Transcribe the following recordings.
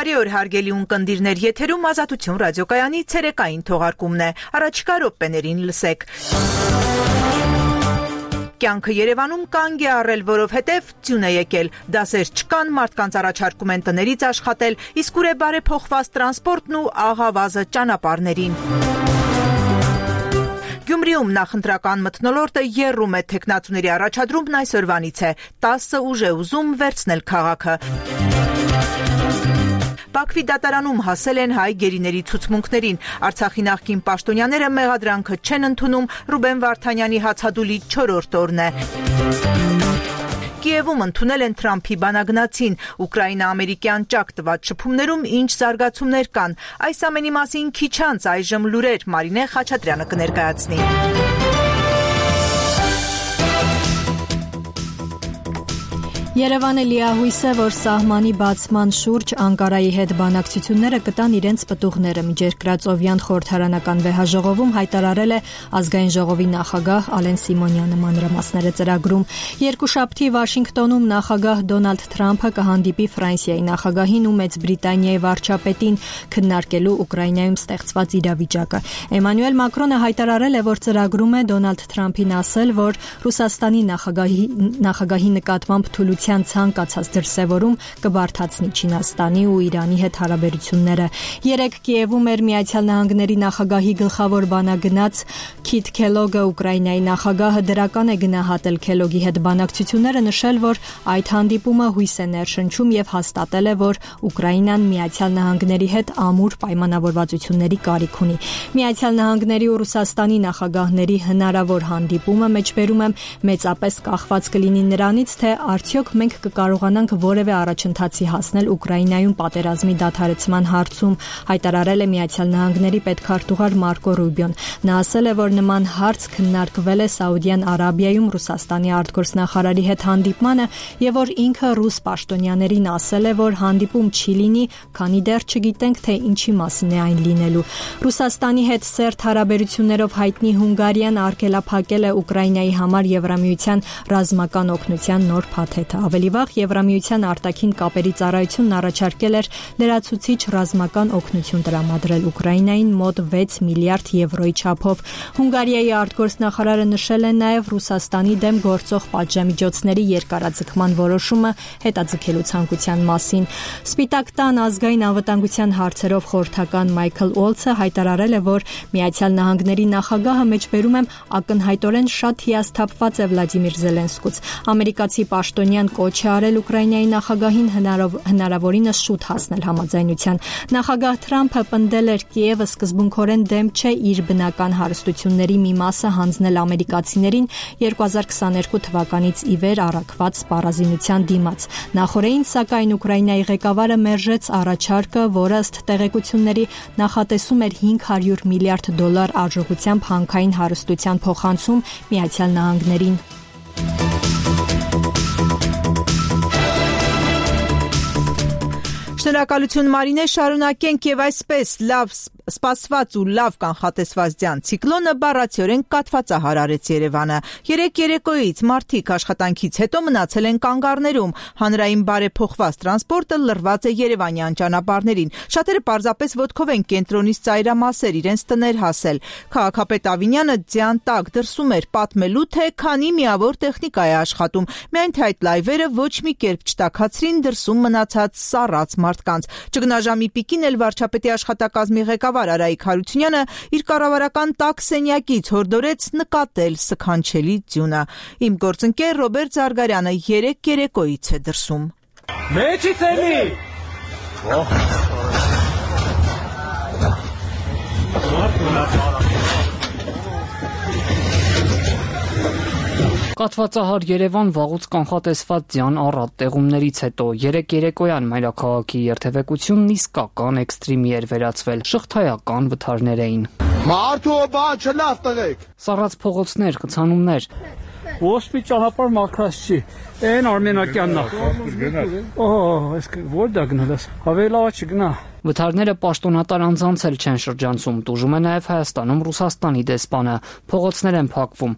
Բարի օր հարգելի ունկնդիրներ, եթերում Ազատություն ռադիոկայանի ցերեկային թողարկումն է։ Առաջիկա րոպեներին լսեք։ Կյանքը Երևանում կանգ է առել, որովհետև ձյուն է եկել։ Դասեր չկան, մարդկանց առաջարկում են տներից աշխատել, իսկ ուր է բարեփոխված տրանսպորտն ու աղավազը ճանապարհներին։ Գյումրիում նախընտրական մթնոլորտը եռում է, թեկնածուների առաջադրումն այսօրվանից է։ 10 ուժ է ուզում վերցնել քաղաքը։ Բաքվի դատարանում հասել են հայ գերիների ցուցմունքներին։ Արցախի նախկին պաշտոնյաները մեղադրանքը չեն ընդունում, Ռուբեն Վարդանյանի հացադուլի 4-րդ օրն է։ Կիևում ընդունել են Թրամփի բանագնացին, Ուկրաինա-ամերիկյան ճակ տված շփումներում ինչ զարգացումներ կան։ Այս ամենի մասին քիչ անց այժմ լուրեր Մարինե Խաչատրյանը կներկայացնի։ Երևանը լիահույս է, որ սահմանի բացման շուրջ Անկարայի հետ բանակցությունները կտան իրենց պտուղները։ Միջերկրածովյան խորհրդարանական վեհաժողովում հայտարարել է Ազգային ժողովի նախագահ Ալեն Սիմոնյանը, մանրամասները ծրագրում։ Երկուշաբթի Վաշինգտոնում նախագահ Դոնալդ Թրամփը կհանդիպի Ֆրանսիայի նախագահին ու Մեծ Բրիտանիայի վարչապետին քննարկելու Ուկրաինայում ստեղծված իրավիճակը։ Էմանուել Մակրոնը հայտարարել է, որ ծրագրում է Դոնալդ Թրամփին ասել, որ Ռուսաստանի նախագահի նկատմամբ ցանկացած դրսևորում կբարդացնի Չինաստանի ու Իրանի հետ հարաբերությունները։ Երեկ Կիևում էր Միացյալ Նահանգների նախագահի գլխավոր բանագնաց Քիթ Քելոգը, Ուկրաինայի նախագահը դրական է գնահատել Քելոգի հետ բանակցությունները, նշել, որ այդ հանդիպումը հույս է ներշնչում եւ հաստատել է, որ Ուկրաինան Միացյալ Նահանգների հետ ամուր պայմանավորվածությունների կարիք ունի։ Միացյալ Նահանգների ու Ռուսաստանի նախագահների հնարավոր հանդիպումը մեջբերում եմ մեծապես կախված կլինի նրանից, թե արդյոք մենք կկարողանանք որևէ առաջընթացի հասնել Ուկրաինայում պատերազմի դադարեցման հարցում, հայտարարել է Միացյալ Նահանգների պետքարտուղար Մարկո Ռուբիոն։ Նա ասել է, որ նման հարց քննարկվել է Սաուդյան Արաբիայում Ռուսաստանի արտգործնախարարի հետ հանդիպմանը եւ որ ինքը ռուս պաշտոնյաներին ասել է, որ հանդիպում չի լինի, քանի դեռ չգիտենք, թե ինչի մասին է այն լինելու։ Ռուսաստանի հետ սերտ հարաբերություններով հայտնի Հունգարիան արգելափակել է Ուկրաինայի համար Եվրամիության ռազմական օգնության նոր փաթեթը։ Ավելի վաղ Եվրամիության արտաքին կապերի ծառայությունն առաջարկել էր լրացուցիչ ռազմական օգնություն տրամադրել Ուկրաինային մոտ 6 միլիարդ եվրոյի չափով։ Հունգարիայի արտգործնախարարը նշել է նաև Ռուսաստանի դեմ գործող պատժամիջոցների երկարաձգման որոշումը հետաձգելու ցանկության մասին։ Սպիտակ տան ազգային անվտանգության հարցերով խորհրդական Մայքլ Օլցը հայտարարել է, որ Միացյալ Նահանգների նախագահը մեջբերում է ակնհայտորեն շատ հիասթափված է Վլադիմիր Զելենսկուց։ Ամերիկացի պաշտոնյան կոչ է արել Ուկրաինայի նախագահին հնարավորինս շուտ հասնել համաձայնության։ Նախագահ Թրամփը պնդել էր Կիևը սկզբունքորեն դեմ չէ իր բնական հարստությունների մի մասը հանձնել ամերիկացիներին 2022 թվականից ի վեր առաքված սպառազինության դիմաց։ Նախորդին, սակայն Ուկրաինայի ղեկավարը մերժեց առաջարկը, որը ըստ տեղեկությունների նախատեսում էր $500 միլիարդ արժողությամբ հանքային հարստության փոխանցում Միացյալ Նահանգներին։ Շնորհակալություն Մարինե, շարունակենք եւ այսպես լավ սպասված ու լավ կանխատեսված ձյան ցիկլոնը բառացիորեն կաթվածահար արեց Երևանը։ Երեկ երեկոյից մարդիկ աշխատանքից հետո մնացել են կանգառներում, հանրային բարեփոխված տրանսպորտը լրված է երևանյան ճանապարհներին։ Շատերը պարզապես ոտքով են կենտրոնից ծայրամասեր իրենց տներ հասել։ Քաղաքապետ Ավինյանը ձյան տակ դրսում էր պատմելու, թե քանի միավոր տեխնիկա է աշխատում, միայն թե այդ լայվերը ոչ մի կերպ չտաքացրին դրսում մնացած սառած մարդկանց։ Ճգնաժամի պիկին էլ վարչապետի աշխատակազմի ղեկավար Արայիկ Հարությունյանը իր կառավարական տաք սենյակից հորդորեց նկատել սքանչելի ձյունը։ Իմ գործընկեր Ռոբերտ Զարգարյանը երեկ երեկոյից է դրսում։ Մեջից էլի։ Կաթվածահար Երևան վաղուց կանխատեսված ձյան առատ տեղումներից հետո երեկ երեկոյան մայրաքաղաքի երթևեկությունն իսկական էքստրիմի էր վերածվել, շղթայական վթարներ էին։ Մարդու բան չլավ տղեկ։ Սառած փողոցներ, կցանումներ։ Ոսպի ճանապարհ մաքրած չի։ Այն Արմենակյանն է։ Այս որտե գնալ ես։ Ավելի լավ չգնա։ Վթարները պաշտոնատար անձանց էլ չեն շրջանցում, տուժում է նաև Հայաստանում Ռուսաստանի դեսպանը, փողոցներ են փակվում։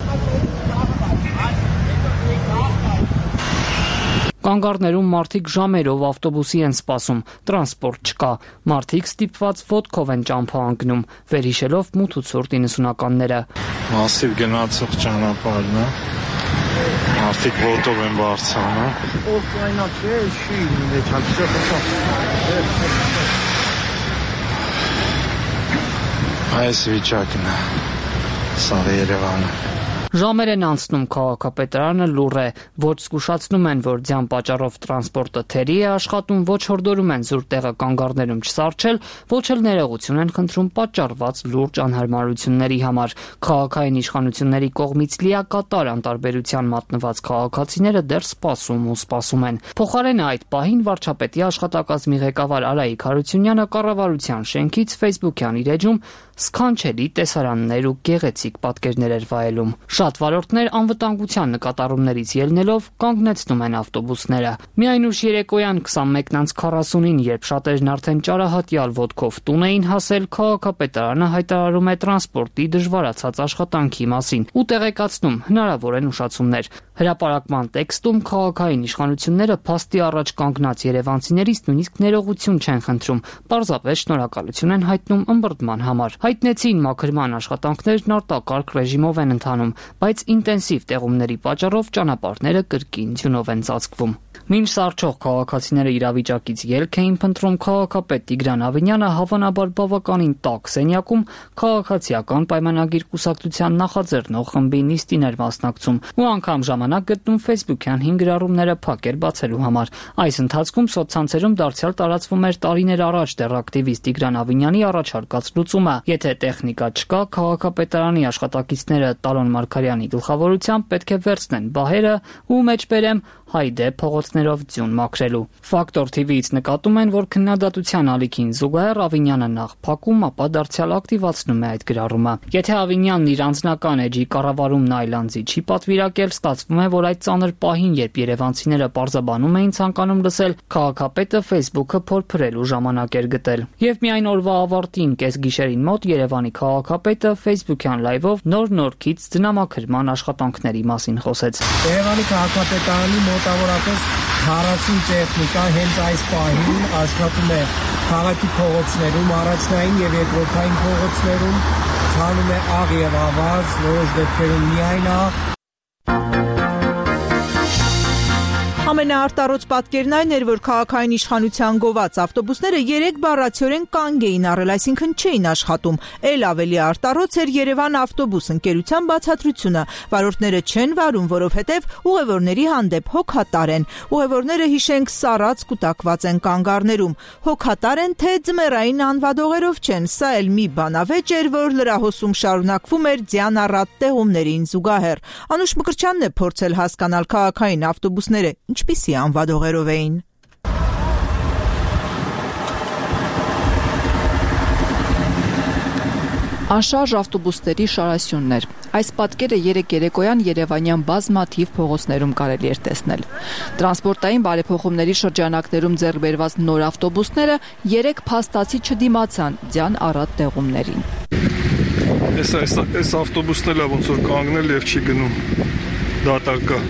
Կանգառներում մարդիկ ժամերով ավտոբուսի են սպասում, տրանսպորտ չկա։ Մարդիկ ստիպված ոտքով են ճամփա ընկնում, վերհիշելով մութ ու ցուրտ 90-ականները։ Մասիվ գնացող ճանապարհն է։ Մարդիկ ոտով են բարձրանում։ Այս վիճակն է։ Սա Երևանը։ Ժամեր են անցնում, քաղաքապետարանը լուռ է, ոչ զգուշացնում են, որ ձյան պատճառով տրանսպորտը թերի է աշխատում, ոչ հորդորում են զուր տեղը կանգառներում չսառչել, ոչ էլ ներողություն են խնդրում պատճառված լուրջ անհարմարությունների համար։ Քաղաքային իշխանությունների կողմից լիակատար անտարբերության մատնված քաղաքացիները դեռ սպասում ու սպասում են։ Փոխարենը այդ պահին վարչապետի աշխատակազմի ղեկավար Արայիկ Հարությունյանը կառավարության շենքից Facebook-յան իր էջում սքանչելի տեսարաններ ու գեղեցիկ պատկերներ էր վայելում։ Շատ վարորդներ անվտանգության նկատառումներից ելնելով կանգնեցնում են ավտոբուսները։ Միայն ուշ երեկոյան 21:40-ին, երբ շատերն արդեն ճարահատյալ ոտքով տուն էին հասել, քաղաքապետարանը հայտարարում է տրանսպորտի դժվարացած աշխատանքի մասին ու տեղեկացնում հնարավոր են ուշացումներ։ Հրապարակման տեքստում քաղաքային իշխանությունները փաստի առաջ կանգնած երևանցիներից նույնիսկ ներողություն չեն խնդրում, պարզապես շնորհակալություն են հայտնում ըմբռնման համար։ Հայտնեցին մաքրման աշխատանքներն արտակարգ ռեժիմով են ընթանում, բայց ինտենսիվ տեղումների պատճառով ճանապարհները կրկին ձյունով են ծածկվում։ Մինչ սառչող քաղաքացիները իրավիճակից ելք էին փնտրում, քաղաքապետ Տիգրան Ավինյանը հավանաբար բավականին տաք սենյակում քաղաքացիական պայմանագիր կուսակցության նախաձեռնող խմբի նիստին էր մասնակցում ու անգամ ժամանակ գտնում Facebook-յան 5 գրառումները փակեր բացելու համար։ Այս ընթացքում սոցցանցերում դարձյալ տարածվում էր տարիներ առաջ դեռ ակտիվիստ Տիգրան Ավինյանի առաջարկած լուծումը։ Եթե տեխնիկա չկա, քաղաքապետարանի աշխատակիցները Տարոն Մարգարյանի գլխավորությամբ պետք է վերցնեն բահերը ու մեջբերեմ հայդե փողոցներով ձյուն մաքրելու։ Ֆակտոր TV-ից նկատում են, որ քննադատության ալիքին զուգահեռ Ավինյանը նախ փակում, ապա դարձյալ ակտիվացնում է այդ գրառումը։ Եթե Ավինյանն իր անձնական էջի կառավարումն այլ անձի չի պատվիրակել, ստացվում է, որ այդ ծանր պահին, երբ երևանցիները պարզաբանում էին ցանկանում լսել, քաղաքապետը Facebook-ը փորփրելու ժամանակ էր գտել։ Եվ միայն օրվա ավարտին կեսգիշերին մոտ Երևանի քաղաքապետը Facebook-յան լայվով նոր-նորքից ձնամաքրման աշխատանքների մասին խոսեց։ Երևանի քաղաքապետարանի մոտավորապես 40 տեխնիկա հենց այս պահին աշխատում է քաղաքի փողոցներում, առաջնային եւ երկրորդային փողոցներում, ցանում է աղ եւ ավազ, որոշ դեպքերում միայն աղ։ Ամենաարտառոց պատկերն այն էր, որ քաղաքային իշխանության գոված ավտոբուսները 3 բառացիորեն կանգ էին առել, այսինքն չէին աշխատում։ Էլ ավելի արտառոց էր Երևան ավտոբուս ընկերության բացատրությունը։ Վարորդները չեն վարում, որովհետև ուղևորների հանդեպ հոգատար են։ Ուղևորները, հիշենք, սառած կուտակված են կանգառներում։ Հոգատար են, թե ձմեռային անվադողերով չեն։ Սա էլ մի բանավեճ էր, որ լրահոսում շարունակվում էր ձյան առատ տեղումներին զուգահեռ։ Անուշ Մկրտչյանն է փորձել հասկանալ քաղաքային ավտոբուսները ինչպիսի անվադողերով էին։ Անշարժ ավտոբուսների շարասյուններ։ Այս պատկերը երեկոյան երևանյան բազմաթիվ փողոցներում կարելի էր տեսնել։ Տրանսպորտային բարեփոխումների շրջանակներում ձեռք բերված նոր ավտոբուսները 3 փաստացի չդիմացան ձյան առատ տեղումներին։ Այս ավտոբուսն էլ ոնց որ կանգնել եւ չի գնում։ Դատարկա։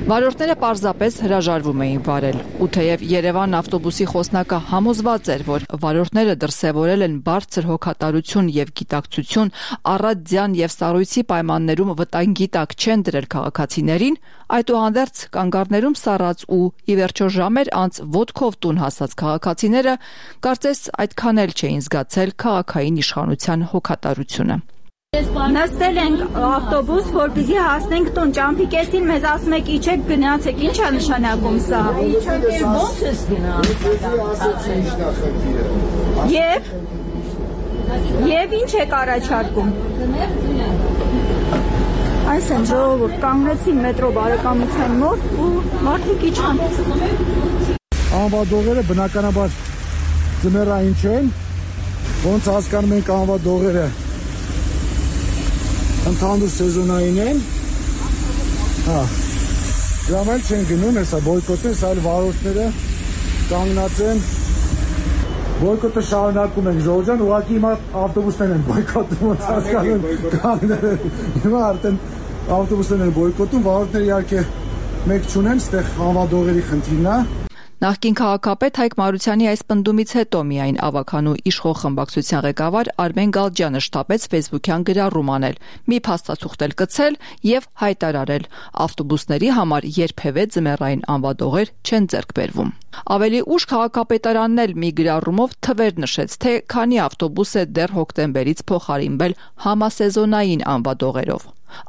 Վարորդները պարզապես հրաժարվում էին վարել, ու թեև Երևան ավտոբուսի խոսնակը համոզված էր, որ վարորդները դրսևորել են բարձր հոգատարություն եւ գիտակցություն, առատ ձյան եւ սառույցի պայմաններում վտանգի տակ չեն դրել քաղաքացիներին, այդուհանդերձ կանգառներում սառած ու ի վերջո ժամեր անց ոտքով տուն հասած քաղաքացիները կարծես այդքան էլ չէին զգացել քաղաքային իշխանության հոգատարությունը։ Նստել ենք ավտոբուս, որպեսզի հասնենք տուն, ճամփի կեսին մեզ ասում եք իջեք գնացեք, ի՞նչ է նշանակում սա։ Ո՞նց ես գնալ։ Եվ ինչ եք առաջարկում։ Այս են ժողովուրդ կանգնեցին մետրո բարեկամության մոտ ու մարդիկ իջան։ Անվադողերը բնականաբար ձմեռային չեն, ոնց հասկանում ենք անվադողերը ընդհանուր սեզոնային են, դրամ էլ չեն գնում, հեսա բոյկոտը, հեսա էլ վարորդները կանգնած են, բոյկոտը շարունակում ենք ժողովրդյան, ուղղակի հիմա ավտոբուսներն են բոյկոտում, ոնց հասկանում կանգնել են, հիմա արդեն ավտոբուսներն են բոյկոտում, վարորդները իհարկե մեկ չունեն, ստեղ անվադողերի խնդիրն է։ Նախկին քաղաքապետ Հայկ Մարությանի այս պնդումից հետո միայն ավականու իշխող խմբակցության ղեկավար Արմեն Գալջյանը շտապեց Facebook-յան գրառում անել, մի փաստաթուղթ էլ կցել եւ հայտարարել. ավտոբուսների համար երբևէ ձմեռային անվադողեր չեն ձեռք բերվում։ Ավելի ուշ քաղաքապետարանն էլ մի գրառումով թվեր նշեց, թե քանի ավտոբուս է դեռ հոկտեմբերից փոխարինվել համասեզոնային անվադողերով։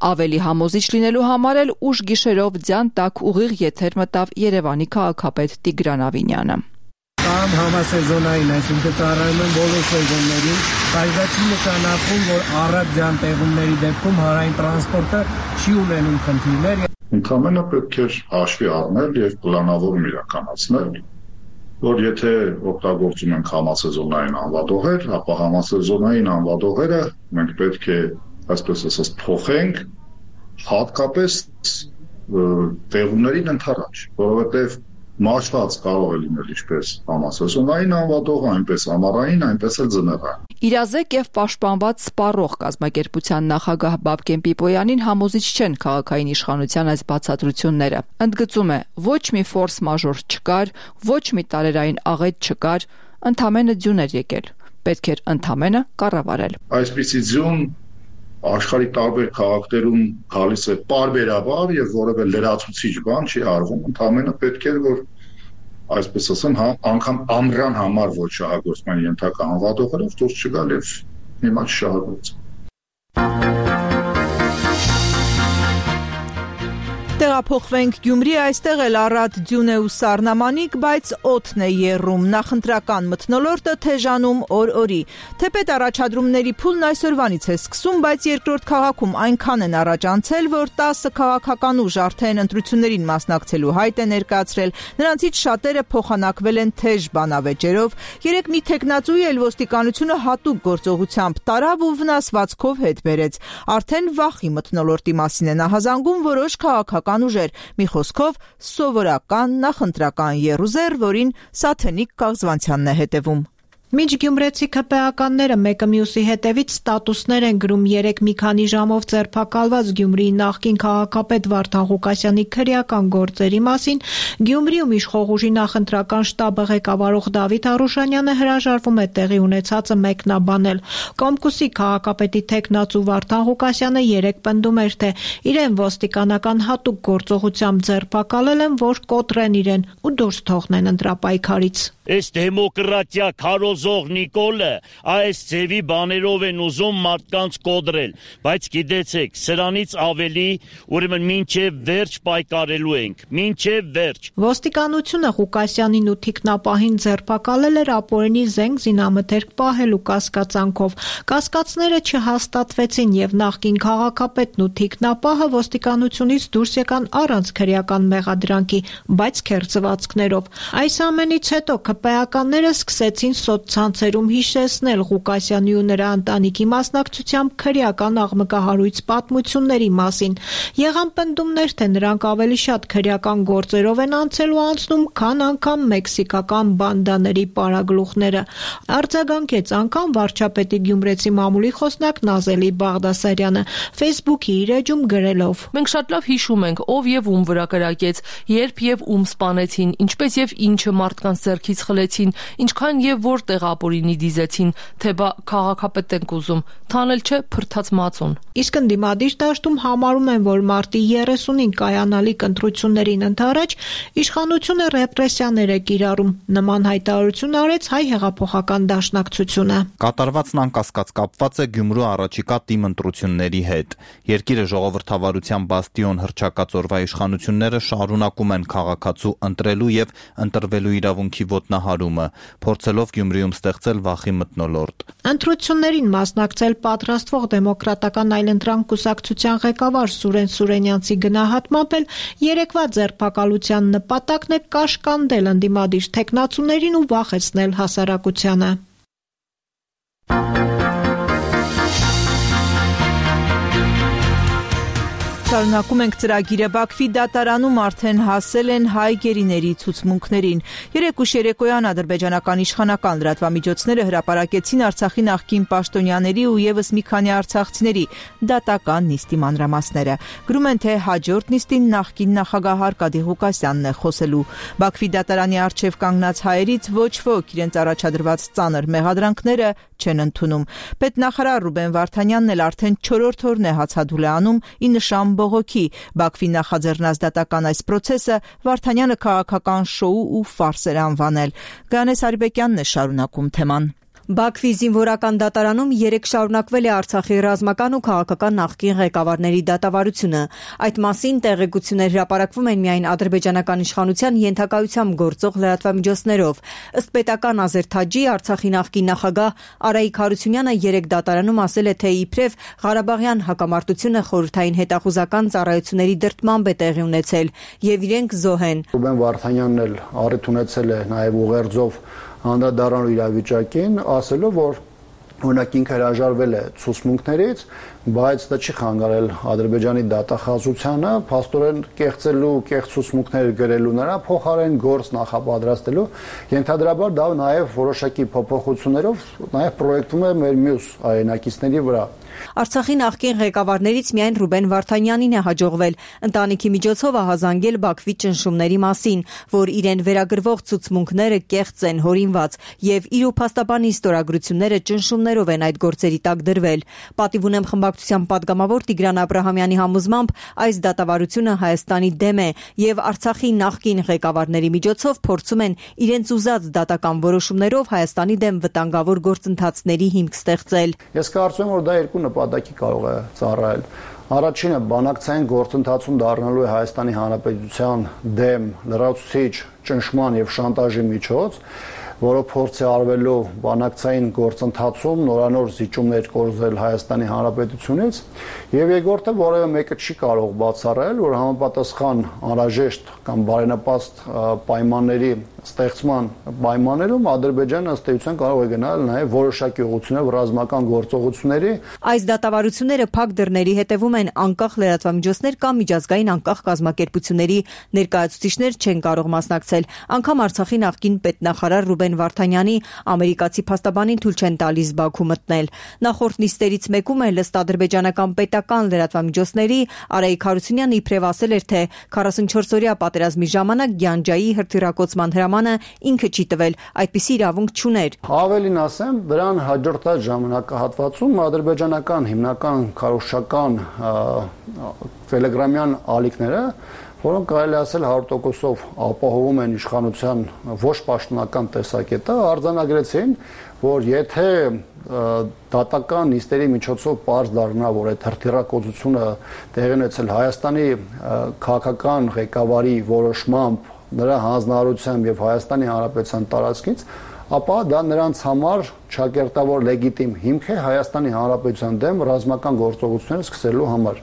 Ավելի համոզիչ լինելու համար էլ ուշ գիշերով ձյան տակ ուղիղ եթեր մտավ Երևանի քաղաքապետ Տիգրան Ավինյանը։ Կամ համասեզոնային, այսինքն ծառայում են բոլոր սեզոններին, բայց դա չի նշանակում, որ առատ ձյան տեղումների դեպքում հանրային տրանսպորտը չի ունենում խնդիրներ։ Ընդամենը պետք է հաշվի առնել եւ պլանավորում իրականացնել, որ եթե օգտագործում ենք համասեզոնային անվադողեր, ապա համասեզոնային անվադողերը մենք պետք է այսպես ասած փոխենք հատկապես տեղումներին ընդառաջ, որովհետև մաշված կարող է լինել ինչպես համասեզոնային անվադողը, այնպես ամառային, այնպես էլ ձմեռային։ Իրազեկ եւ պաշտպանված սպառող կազմակերպության նախագահ Բաբկեն Պիպոյանին համոզիչ չեն քաղաքային իշխանության այս բացատրությունները։ Ընդգծում է, ոչ մի ֆորս մաժոր չկար, ոչ մի տարերային աղետ չկար, ընդամենը ձյուն էր եկել։ Պետք էր ընդամենը կառավարել։ Այսպիսի ձյուն աշխարհի տարբեր քաղաքներում գալիս է պարբերաբար եւ որևէ լրացուցիչ բան չի արվում, ընդամենը պետք է որ այսպես ասեմ, անգամ ամռան համար ոչ շահագործման ենթակա անվադողերով դուրս չգալ եւ հիմա շահագործել։ Տեղափոխվենք Գյումրի, այստեղ էլ առատ ձյուն է ու սառնամանիք, բայց օդն է եռում, նախընտրական մթնոլորտը թեժանում օր-օրի։ Թեպետ առաջադրումների փուլն այսօրվանից է սկսում, բայց երկրորդ քաղաքում այնքան են առաջ անցել, որ 10 քաղաքական ուժ արդեն ընտրություններին մասնակցելու հայտ է ներկայացրել, նրանցից շատերը փոխանակվել են թեժ բանավեճերով։ Երեք մի թեկնածուի էլ ոստիկանությունը հատուկ գործողությամբ տարավ ու վնասվածքով հետ բերեց։ Արդեն վախի մթնոլորտի մասին են ահազանգում որոշ քաղաքական ուժեր, մի խոսքով սովորական նախընտրական եռուզեռ, որին Սաթենիկ Կաղզվանցյանն է հետևում։ Մինչ գյումրեցի ԿՊԱ-ականները մեկը մյուսի հետևից ստատուսներ են գրում երեք մի քանի ժամով ձերբակալված Գյումրիի նախկին քաղաքապետ Վարդան Ղուկասյանի քրեական գործերի մասին, Գյումրիում իշխող ուժի նախընտրական շտաբը ղեկավարող Դավիթ Արուշանյանը հրաժարվում է տեղի ունեցածը մեկնաբանել։ Կոմկուսի քաղաքապետի թեկնածու Վարդան Ղուկասյանը երեք պնդում էր, թե իրեն ոստիկանական հատուկ գործողությամբ ձերբակալել են, որ կոտրեն իրեն ու դուրս թողնեն ընտրապայքարից։ Այս դեմոկրատիա քարոզող Նիկոլը այս ձևի բաներով են ուզում մարդկանց կոտրել, բայց գիտեցեք, սրանից ավելի ուրեմն մինչև վերջ պայքարելու ենք, մինչև վերջ։ Ոստիկանությունը Ղուկասյանին ու թիկնապահին ձերբակալել էր ապօրինի զենք զինամթերք պահելու կասկածանքով։ Կասկածները չհաստատվեցին եւ նախկին քաղաքապետն ու թիկնապահը ոստիկանությունից դուրս եկան առանց քրեական մեղադրանքի, բայց քերծվածքներով։ Այս ամենից հետո ԿՊԱ-ականները սկսեցին սոցցանցերում հիշեցնել Ղուկասյանի ու նրա ընտանիքի մասնակցությամբ քրեական աղմկահարույց պատմությունների մասին։ Եղան պնդումներ, թե նրանք ավելի շատ քրեական գործերով են անցել ու անցնում, քան անգամ մեքսիկական բանդաների պարագլուխները։ Արձագանքեց անգամ վարչապետի գյումրեցի մամուլի խոսնակ Նազելի Բաղդասարյանը Facebook-ի իր էջում գրելով. Մենք շատ լավ հիշում ենք, ով եւ ում վրա կրակեց, երբ եւ ում սպանեցին, ինչպես եւ ինչը մարդկանց ձեռքից խլեցին, ինչքան եւ որտեղ ապօրինի դիզեցին, թե բա քաղաքապետ ենք ուզում, թանել չէ փրթած մածուն։ Իսկ ընդդիմադիր դաշտում համարում են, որ մարտի 30-ին կայանալիք ընտրություններին ընդառաջ իշխանությունը ռեպրեսիաներ է կիրառում։ Նման հայտարարություն արեց Հայ հեղափոխական դաշնակցությունը։ Կատարվածն անկասկած կապված է Գյումրու առաջիկա թիմ ընտրությունների հետ։ Երկիրը ժողովրդավարության բաստիոն հռչակած օրվա իշխանությունները շարունակում են քաղաքացու ընտրելու եւ ընտրվելու իրավունքի ոտնահարումը, փորձելով Գյումրիում ստեղծել վախի մթնոլորտ։ Ընտրություններին մասնակցել պատրաստվող դեմոկրատական այլընտրանք կուսակցության ղեկավար Սուրեն Սուրենյանցի գնահատմամբ էլ երեկվա ձերբակալության նպատակն է կաշկանդել ընդդիմադիր թեկնածուներին ու վախեցնել հասարակությանը։ Շարունակում ենք ծրագիրը Բաքվի դատարանում արդեն հասել են հայ գերիների ցուցմունքներին։ Երեկ ուշ երեկոյան ադրբեջանական իշխանական լրատվամիջոցները հրապարակեցին Արցախի նախկին պաշտոնյաների ու եւս մի քանի արցախցիների դատական նիստի մանրամասները։ Գրում են, թե հաջորդ նիստին նախկին նախագահ Արկադի Ղուկասյանն է խոսելու։ Բաքվի դատարանի առջև կանգնած հայերից ոչ ոք իրենց առաջադրված ծանր մեղադրանքները չեն ընդունում։ Պետնախարար Ռուբեն Վարդանյանն էլ արդեն 4-րդ օրն է հացադուլ է անում ի նշան բողոքի։ Բաքվի նախաձեռնած դատական այս պրոցեսը Վարդանյանը քաղաքական շոու ու ֆարս էր անվանել։ Գանես Արիբեկյանն է շարունակում թեման։ Բաքվի զինվորական դատարանում երեկ շարունակվել է Արցախի ռազմական ու քաղաքական նախկին ղեկավարների դատավարությունը։ Այդ մասին տեղեկություններ հրապարակվում են միայն ադրբեջանական իշխանության ենթակայությամբ գործող լրատվամիջոցներով։ Ըստ պետական Ազեր Թաջի, Արցախի նախկին նախագահ Արայիկ Հարությունյանը երեկ դատարանում ասել է, թե իբրև Ղարաբաղյան հակամարտությունը խորհրդային հետախուզական ծառայությունների դրդմամբ է տեղի ունեցել եւ իրենք զոհ են։ Ռուբեն Վարդանյանն էլ առիթ ունեցել է նաեւ ուղերձով անդրադառնալու իրավիճակին, ասելով, որ օրինակ ինքը հրաժարվել է ցուցմունքներից, բայց դա չի խանգարել Ադրբեջանի դատախազությանը փաստորեն կեղծելու կեղծ ցուցմունքներ գրելու նրա փոխարեն գործ նախապատրաստելու, ենթադրաբար դա նաև որոշակի փոփոխություններով նաև պրոյեկտում է մեր մյուս այնակիցների վրա։ Արցախի նախկին ղեկավարներից միայն Ռուբեն Վարդանյանին է հաջողվել ընտանիքի միջոցով ահազանգել Բաքվի ճնշումների մասին, որ իրեն վերագրվող ցուցմունքները կեղծ են, հորինված եւ իր ու փաստաբանի ստորագրությունները ճնշումներով են այդ գործերի տակ դրվել։ Պատիվ ունեմ խմբակցության падգամավոր Տիգրան Աբրահամյանի համոզմամբ այս դատավարությունը Հայաստանի դեմ է եւ Արցախի նախկին ղեկավարների միջոցով փորձում են իրենց ուզած դատական որոշումներով Հայաստանի դեմ վտանգավոր գործընթացների հիմք ստեղծել։ Ես կարծում եմ, որ դա երկու նպատակի կարող է ծառայել։ Առաջինը բանակցային գործընթացում դառնալու է Հայաստանի Հանրապետության դեմ լրացուցիչ ճնշման եւ շանտաժի միջոց, որը փորձ է արվելու բանակցային գործընթացում նորանոր զիջումներ կորզել Հայաստանի Հանրապետությունից, եւ երկրորդը որևէ մեկը չի կարող բացառել, որ համապատասխան անհրաժեշտ կամ բարենպաստ պայմանների ստեղծման պայմաններում Ադրբեջանը ըստ էության կարող է գնալ նաև որոշակի ուղղություններով ռազմական գործողությունների։ Այս դատավարությունները փակ դռների հետևում են, անկախ լրատվամիջոցներ կամ միջազգային անկախ կազմակերպությունների ներկայացուցիչներ չեն կարող մասնակցել։ Անգամ Արցախի նախկին պետնախարար Ռուբեն Վարդանյանի ամերիկացի փաստաբանին թույլ չեն տալիս Բաքու մտնել։ Նախորդ նիստերից մեկում էլ ըստ ադրբեջանական պետական լրատվամիջոցների Արայիկ Հարությունյանը իբրև ասել էր, թե 44-օրյա պատերազմի ժամանակ Գյանջայի հրթիռակոծման հրամանը ինքը չի տվել, այդպիսի իրավունք չուներ։ Ավելին ասեմ, դրան հաջորդած ժամանակահատվածում ադրբեջանական հիմնական քարոզչական տելեգրամյան ալիքները, որոնք կարելի ասել 100%-ով ապահովում են իշխանության ոչ պաշտոնական տեսակետը, արձանագրեցին, որ եթե դատական նիստերի միջոցով պարզ դառնա, որ այդ հրթիռակոծությունը տեղի ունեցել Հայաստանի քաղաքական ղեկավարի որոշմամբ, նրա հանձնարարությամբ եւ Հայաստանի Հանրապետության տարածքից, ապա դա նրանց համար ճակերտավոր լեգիտիմ հիմք է Հայաստանի Հանրապետության դեմ ռազմական գործողություններ սկսելու համար։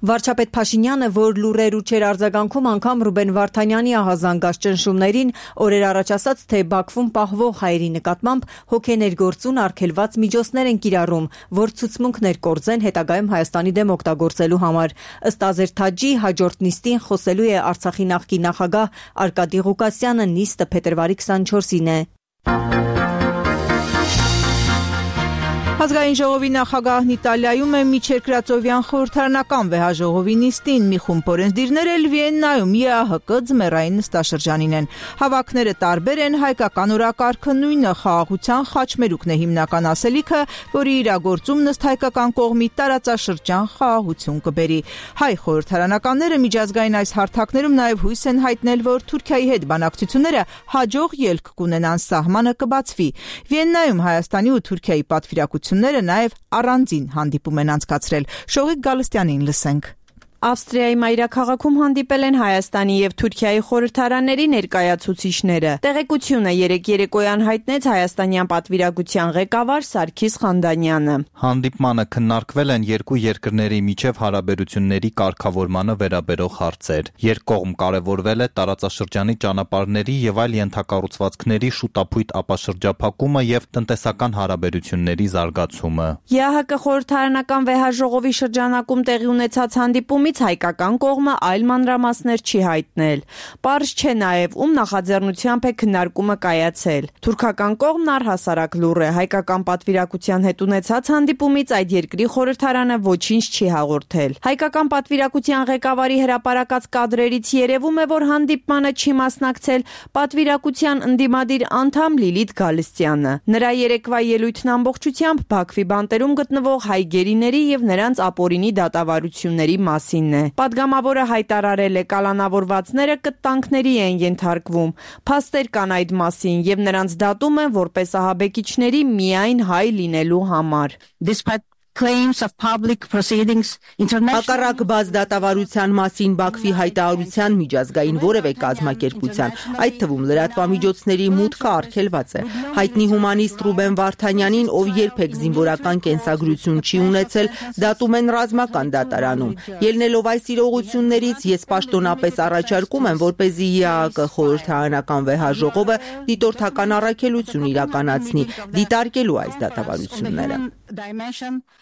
Վարչապետ Փաշինյանը, որ լուրեր ու չեր արձագանքում անգամ Ռուբեն Վարդանյանի ահազանգած ճնշումներին, օրեր առաջ ասաց, թե Բաքվում պահվող հայերի նկատմամբ հոգեներգործուն արգելված միջոցներ են կիրառում, որ ցուցմունքներ կորձեն հետագայում Հայաստանի դեմ օգտագործելու համար։ Ըստ Ազեր Թաջի, հաջորդ նիստին խոսելու է Արցախի նախկին նախագահ Արկադի Ղուկասյանը, նիստը փետրվարի 24-ին է։ Ազգային ժողովի նախագահն Իտալիայում է միջերկրածովյան խորհրդարանական վեհաժողովի նիստին, մի խումբ օրենսդիրներ էլ Վիեննայում ԵԱՀԿ ձմեռային նստաշրջանին են։ Հավաքները տարբեր են, հայկական օրակարգը նույնը, խաղաղության խաչմերուկն է հիմնական ասելիքը, որի իրագործումն ըստ հայկական կողմի տարածաշրջան խաղաղություն կբերի։ Հայ խորհրդարանականները միջազգային այս հարթակներում նաև հույս են հայտնել, որ Թուրքիայի հետ բանակցությունները հաջող ելք կունենան, սահմանը կբացվի։ Վիեննայում Հայաստանի ու Թուրքիայի պատվիրակությունները նաև առանձին հանդիպում են անցկացրել։ Շողիկ Գալստյանին լսենք։ Ավստրիայի մայրաքաղաքում հանդիպել են Հայաստանի եւ Թուրքիայի խորհրդարանների ներկայացուցիչները։ Տեղեկությունը երեկ երեկոյան հայտնեց հայաստանյան պատվիրակության ղեկավար Սարգիս Խանդանյանը։ Հանդիպմանը քննարկվել են երկու երկրների միջև հարաբերությունների կարգավորմանը վերաբերող հարցեր։ Երկկողմ կարևորվել է տարածաշրջանի ճանապարհների եւ այլ ենթակառուցվածքների շուտափույթ ապաշրջափակումը եւ տնտեսական հարաբերությունների զարգացումը։ ԵԱՀԿ խորհրդարանական վեհաժողովի շրջանակում տեղի ունեցած հանդիպումից կողմից հայկական կողմը այլ մանրամասներ չի հայտնել։ Պարզ չէ նաև ում նախաձեռնությամբ է քննարկումը կայացել։ Թուրքական կողմն առհասարակ լուռ է, հայկական պատվիրակության հետ ունեցած հանդիպումից այդ երկրի խորհրդարանը ոչինչ չի հաղորդել։ Հայկական պատվիրակության ղեկավարի հրապարակած կադրերից երևում է, որ հանդիպմանը չի մասնակցել պատվիրակության ընդդիմադիր անդամ Լիլիթ Գալստյանը։ Նրա երեկվա ելույթն ամբողջությամբ Բաքվի բանտերում գտնվող հայ գերիների եւ նրանց ապօրինի դատավարությունների մասինն է։ Պատգամավորը հայտարարել է, կալանավորվածները կտանքների են ենթարկվում։ Փաստեր կան այդ մասին եւ նրանց դատում են որպես ահաբեկիչների միայն հայ լինելու համար։ Հակառակ բաց դատավարության մասին Բաքվի հայտարարության միջազգային որևէ կազմակերպության, այդ թվում լրատվամիջոցների մուտքը արգելված է։ Հայտնի հումանիստ Ռուբեն Վարդանյանին, ով երբեք զինվորական կենսագրություն չի ունեցել, դատում են ռազմական դատարանում։ Ելնելով այս իրողություններից, ես պաշտոնապես առաջարկում եմ, որպեսզի ԵԱՀԿ խորհրդարանական վեհաժողովը դիտորդական առաքելություն իրականացնի, դիտարկելու այս դատավարությունները։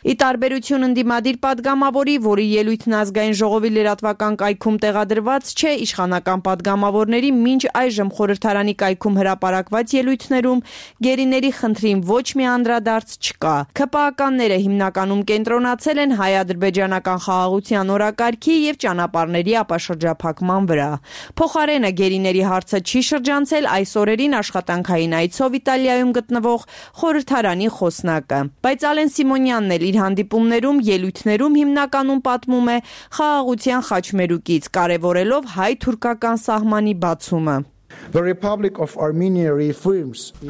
Ի տարբերություն ընդդիմադիր պատգամավորի, որի ելույթն ազգային ժողովի լրատվական կայքում տեղադրված չէ, իշխանական պատգամավորների մինչ այժմ խորհրդարանի կայքում հրապարակված ելույթներում գերիների խնդրին ոչ մի անդրադարձ չկա։ ՔՊԱ-ականները հիմնականում կենտրոնացել են հայ-ադրբեջանական խաղաղության օրակարգի եւ ճանապարհների ապաշրջափակման վրա։ Փոխարենը գերիների հարցը չի շրջանցել այս օրերին աշխատանքային այցով Իտալիայում գտնվող խորհրդարանի խոսնակը։ Բայց Ալեն Սիմոնյանն էլ իր հանդիպումներում, ելույթներում հիմնականում պատմում է խաղաղության խաչմերուկից, կարևորելով հայ-թուրքական սահմանի բացումը։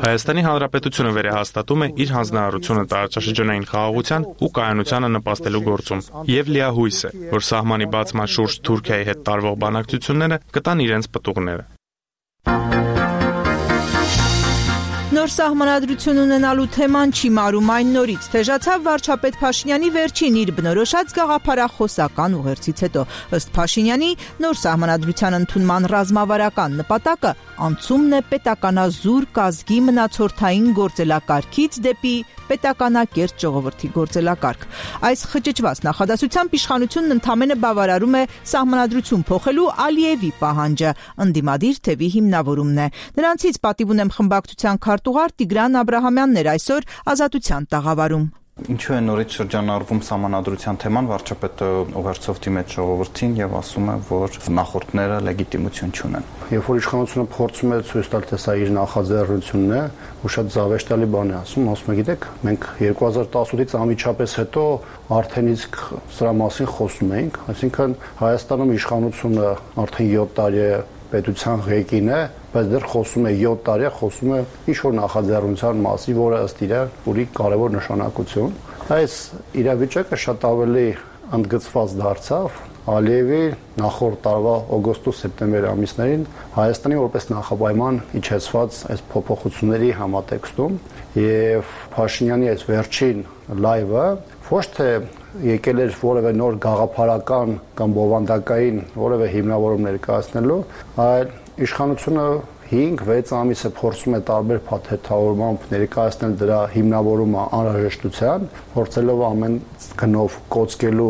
Հայաստանի Հանրապետությունը վերահաստատում է իր հանձնարարությունը տարածաշրջանային խաղաղության ու կայունությանը նպաստելու գործում եւ լիահույս է, որ սահմանի բացման շուրջ Թուրքիայի հետ տարվող բանակցությունները կտան իրենց պտուղները։ Նոր սահմանադրություն ունենալու թեման չի մարում այն նորից։ Թեժացավ վարչապետ Փաշինյանի վերջին իր բնորոշած գաղափարախոսական ուղերձից հետո։ Ըստ Փաշինյանի, նոր սահմանադրության ընդունման ռազմավարական նպատակը անցումն է պետականազուր կազգի մնացորդային գործելակարգից դեպի պետականակերտ ժողովրդի գործելակարգ։ Այս խճճված նախադասությամբ իշխանությունն ընդամենը բավարարում է սահմանադրություն փոխելու Ալիևի պահանջը, ընդդիմադիր թևի հիմնավորումն է։ Նրանցից պատիվ ունեմ խմբակցության քարտուղար Տիգրան Աբրահամյանն էր այսօր Ազատության տաղավարում։ Ինչու է նորից շրջանառվում սահմանադրության թեման, վարչապետը ուղերձով դիմեց ժողովրդին եւ ասում է, որ նախորդները լեգիտիմություն չունեն։ Երբ որ իշխանությունը փորձում է ցույց տալ, թե սա իր նախաձեռնությունն է, ու շատ զավեշտալի բան է ասում, գիտեք, մենք 2018-ից անմիջապես հետո արդեն իսկ սրա մասին խոսում էինք, այսինքն Հայաստանում իշխանությունը արդեն 7 տարի է պետության ղեկին է, բայց դեռ խոսում է 7 տարի, խոսում է ինչ-որ նախաձեռնության մասի, որը ըստ իր ունի կարևոր նշանակություն։ Այս իրավիճակը շատ ավելի ընդգծված դարձավ Ալիևի նախորդ տարվա օգոստոս-սեպտեմբեր ամիսներին Հայաստանի որպես նախապայման իջեցված այս փոփոխությունների համատեքստում եւ Փաշինյանի այս վերջին լայվը ոչ թե եկել էր որևէ նոր գաղափարական կամ բովանդակային որևէ հիմնավորում ներկայացնելու, այլ իշխանությունը 5-6 ամիս է փորձում է տարբեր փաթեթավորմամբ ներկայացնել դրա հիմնավորումը անհրաժեշտության, փորձելով ամեն գնով կոծկելու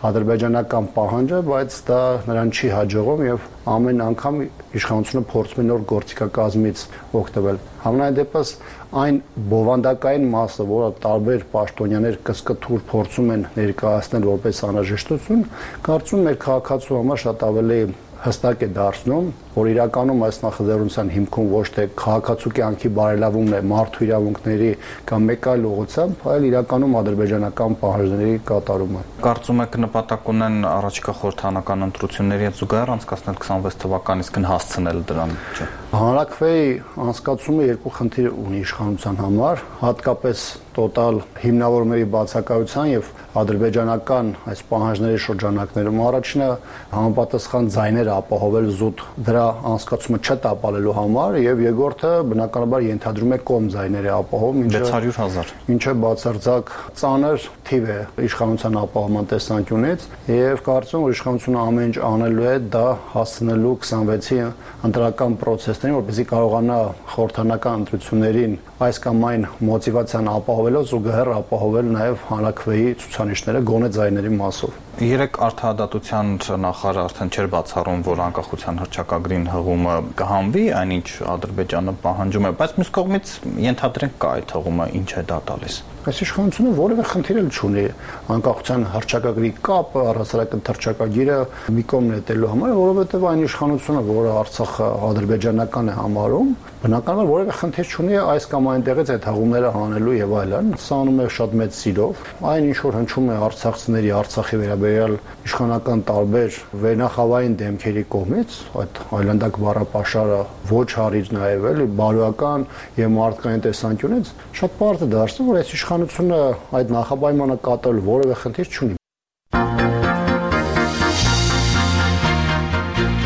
ադրբեջանական պահանջը, բայց դա նրան չի հաջողում եւ ամեն անգամ իշխանությունը փորձում է նոր գործիքակազմից օգտվել։ Համենայն դեպս այն բովանդակային մասը, որը տարբեր պաշտոնյաներ կսկթուր փորձում են ներկայացնել որպես անհրաժեշտություն, կարծում եմ մեր քաղաքացու համար շատ ավելի հստակ է դարձնում, որ իրականում այս նախաձեռնության հիմքում ոչ թե քաղաքացու կյանքի բարելավումն է մարդու իրավունքների կամ մեկ այլ ուղղությամբ, այլ իրականում ադրբեջանական պահանջների կատարումը։ Կարծում եք նպատակ ունեն առաջիկա խորհրդարանական ընտրությունների հետ զուգահեռ անցկացնել 26 թվականից կհասցնել դրան, չէ՞։ Հանրաքվեի անցկացումը երկու խնդիր ունի իշխանության համար, հատկապես տոտալ հիմնավորումների բացակայության եւ ադրբեջանական այս պահանջների շրջանակներում։ Առաջինը համապատասխան ձայներ ապահովել զուտ դրա նրա անցկացումը չտապալելու համար եւ երկրորդը բնականաբար ենթադրում է կողմ ձայների ապահովում, 600,000, ինչը բացարձակ ծանր թիվ է իշխանության ապահովման տեսանկյունից եւ կարծում եմ իշխանությունը ամեն ինչ անելու է դա հասնելու 26-ի ընտրական process-ներին, որպեսզի կարողանա խորհրդանական ընտրություններին այս կամ այն մոտիվացիան ապահովելով զուգահեռ ապահովել նաեւ հանրակրվեի ցուցանիշները գոնե ձայների մասով։ Երեք արդարադատության նախարարը արդեն չէր բացառում, որ անկախության հռչակագրին հղումը կհանվի, այնինչ Ադրբեջանը պահանջում է, բայց մյուս կողմից ենթադրենք կա այդ հղումը, ինչ է դա տալիս։ Այս իշխանությունը որևէ խնդիր չունի անկախության հռչակագրի կապը առասարակ հռչակագիրը մի կողմ նետելու համար, որովհետև այն իշխանությունը, որը Արցախը ադրբեջանական է համարում, բնականաբար որևէ խնդիր չունի այս կամ այնտեղից այդ հղումները հանելու եւ այլն, սա անում է շատ մեծ սիրով, այն ինչ որ հնչում է արցախցիների Արցախի վերաբերյալ իշխանական տարբեր վերնախավային դեմքերի կողմից, այդ այլանդակ բառապաշարը ոչ հարիր նաեւ էլի բարոյական եւ մարդկային տեսանկյունից շատ բարդ է դարձնում, որ այս իշխանությունը այդ նախապայմանը կատարել որևէ խնդիր չունի։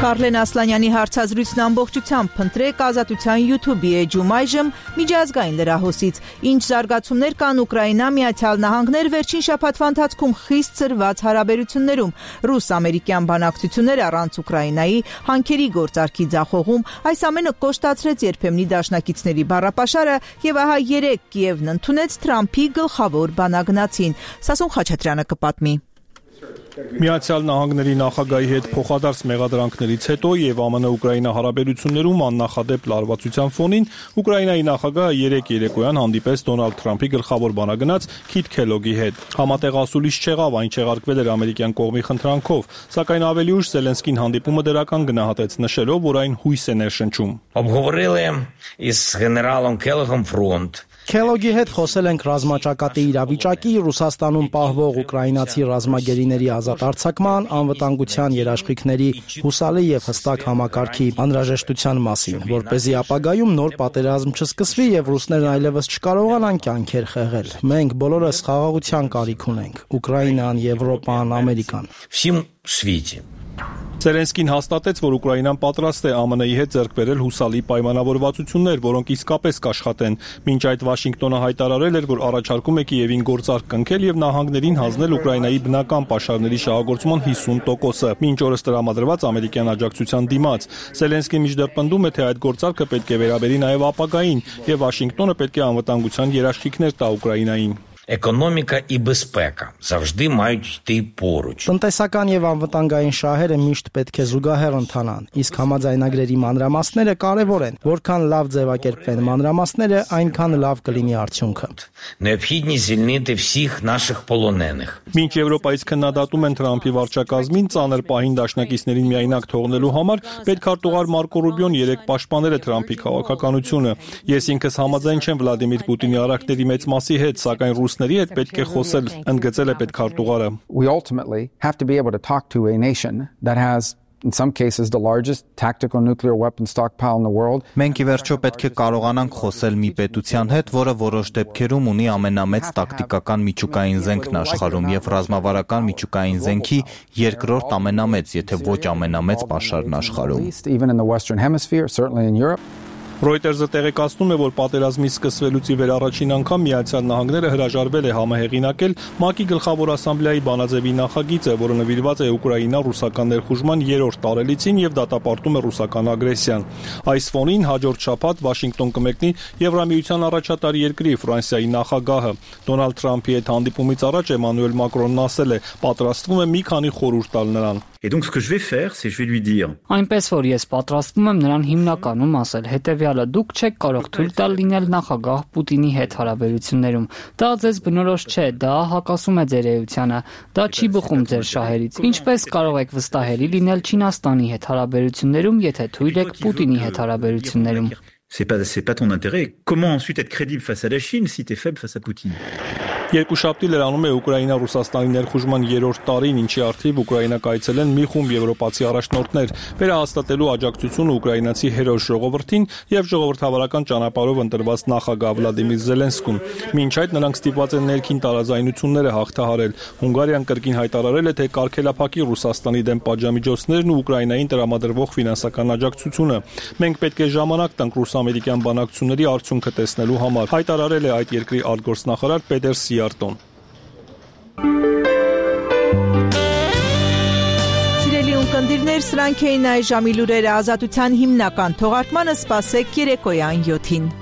Կարլեն Ասլանյանի հարցազրույցն ամբողջությամբ փնտրեք Ազատության YouTube-ի էջում այժմ միջազգային լրահոսից։ Ինչ զարգացումներ կան Ուկրաինա Միացյալ Նահանգներ վերջին շաբաթվա ընթացքում խիստ ծրված հարաբերություններում։ Ռուս-ամերիկյան բանակցություններ առանց Ուկրաինայի հանքերի գործարքի ձախողում, այս ամենը կոշտացրեց երբեմնի դաշնակիցների բառապաշարը եւ ահա երեկ Կիևն ընդունեց Թրամփի գլխավոր բանագնացին։ Սասուն Խաչատրյանը կպատմի։ Միացյալ Նահանգների նախագահի հետ փոխադարձ մեղադրանքներից հետո եւ ԱՄՆ-Ուկրաինա հարաբերություններում աննախադեպ լարվածության ֆոնին Ուկրաինայի նախագահը երեկ երեկոյան հանդիպեց Դոնալդ Թրամփի գլխավոր բանագնաց Քիթ Քելոգի հետ։ Համատեղ ասուլիս չեղավ, այն չեղարկվել էր ամերիկյան կողմի խնդրանքով, սակայն ավելի ուշ Զելենսկին հանդիպումը դրական գնահատեց, նշելով, որ այն հույս է ներշնչում։ Обговорили із генералом Келогом фронт. Քելոգի հետ խոսել ենք ռազմաճակատի իրավիճակի, Ռուսաստանում պահվող ուկրաինացի ռազմագերիների ազատ արձակման, անվտանգության երաշխիքների հուսալի եւ հստակ համակարգի անհրաժեշտության մասին, որպեսզի ապագայում նոր պատերազմ չսկսվի եւ ռուսներն այլևս չկարողանան կյանքեր խեղել։ Մենք բոլորս խաղաղության կարիք ունենք՝ Ուկրաինան, Եվրոպան, Ամերիկան։ Всім світі. Զելենսկին հաստատեց, որ Ուկրաինան պատրաստ է ԱՄՆ-ի հետ ձեռք բերել հուսալի պայմանավորվածություններ, որոնք իսկապես կաշխատեն։ Մինչ այդ Վաշինգտոնը հայտարարել էր, որ առաջարկում է Կիևին գործարք կնքել եւ նահանգներին հանձնել Ուկրաինայի բնական պաշարների շահագործման 50%-ը, մինչ օրս տրամադրված ամերիկյան աջակցության դիմաց։ Զելենսկին մինչդեռ պնդում է, թե այդ գործարքը պետք է վերաբերի նաեւ ապագային եւ Վաշինգտոնը պետք է անվտանգության երաշխիքներ տա Ուկրաինային։ Економіка і безпека завжди мають йти поруч. Տնտեսական եւ անվտանգային շահերը միշտ պետք է զուգահեռ ընթանան, իսկ համաձայնագրերի մանրամասները կարեւոր են։ Որքան լավ ձևակերպվեն մանրամասները, այնքան լավ կլինի արդյունքը։ Необхідність звільнити всіх наших полонених. Մինչ Եվրոպայից քննադատում են Թրամփի վարչակազմին ծանր պահին դաշնակիցներին միայնակ թողնելու համար, պետքարտուղար Մարկո Ռուբիոն երեք պաշտպանել է Թրամփի քաղաքականությունը։ Ես ինքս համաձայն չեմ Վլադիմիր Պուտինի արարքների մեծ մասի հետ, սակայն ռուսների հետ պետք է խոսել, ընդգծել է պետքարտուղարը։ We ultimately have to be able to talk to a nation that has in some cases the largest tactical nuclear weapon stockpile in the world. Մենք ի վերջո պետք է կարողանանք խոսել մի պետության հետ, որը որոշ դեպքերում ունի ամենամեծ տակտիկական միջուկային զենքն աշխարհում եւ ռազմավարական միջուկային զենքի երկրորդ ամենամեծ, եթե ոչ ամենամեծ պաշարն աշխարհում։ Even in the Western Hemisphere, certainly in Europe. Reuters-ը տեղեկացնում է, որ պատերազմի սկսվելուց ի վեր առաջին անգամ Միացյալ Նահանգները հրաժարվել է համահեղինակել ՄԱԿ-ի գլխավոր ասամբլեայի բանաձևի նախագիծը, որը նվիրված է Ուկրաինա-ռուսական ներխուժման 3-րդ տարելիցին եւ դատապարտում է ռուսական ագրեսիան։ Այս ֆոնին հաջորդ շաբաթ Վաշինգտոն կմեկնի Եվրամիության առաջատար երկրի Ֆրանսիայի նախագահը։ Դոնալդ Թրամփի հետ հանդիպումից առաջ Էմանուել Մակրոնն ասել է, պատրաստվում է մի քանի խորհուրդ տալ նրան։ Et donc ce que je vais faire, c'est je vais lui dire. Այնպես որ ես պատրաստվում եմ նրան հիմնականում ասել, հետեւյալը դուք չեք կարող թույլ տալ լինել նախագահ Պուտինի հետ հարաբերություններում։ Դա ձեզ բնորոշ չէ, դա հակասում է ձեր էությանը, դա չի բխում ձեր շահերից։ Ինչպես կարող եք վստահելի լինել Չինաստանի հետ հարաբերություններում, եթե թույլ եք Պուտինի հետ հարաբերություններում։ C'est pas ton intérêt. Comment ensuite être crédible face à la Chine si t'es faible face à Poutine? Երկուշաբթի լրանում է Ուկրաինա-Ռուսաստանի ներխուժման 3-րդ տարին, ինչի առթիվ Ուկրաինա կայցել են մի խումբ եվրոպացի առաջնորդներ, վերահաստատելու աջակցությունը ուկրաինացի հերոս ժողովրդին եւ ժողովրդավարական ճանապարհով ընտրված նախագահ Վլադիմիր Զելենսկուն։ Մինչ այդ նրանք ստիպված են ներքին տարաձայնությունները հաղթահարել։ Հունգարիան կրկին հայտարարել է, թե կարգելափակի Ռուսաստանի դեմ պատժամիջոցներն ու Ուկրաինային տրամադրվող ֆինանսական աջակցությունը։ Մենք պետք է ժամանակ տանք ռուս-ամերիկյան բանակցությունների արդյունքը տեսնելու համար, հայտարարել է այդ երկրի արտգործնախարար Պետեր Սիարտոն։ Սիրելի ունկնդիրներ, սրանք էին այժմի լուրերը, ազատության հիմնական թողարկմանը սպասեք երեկոյան 7-ին։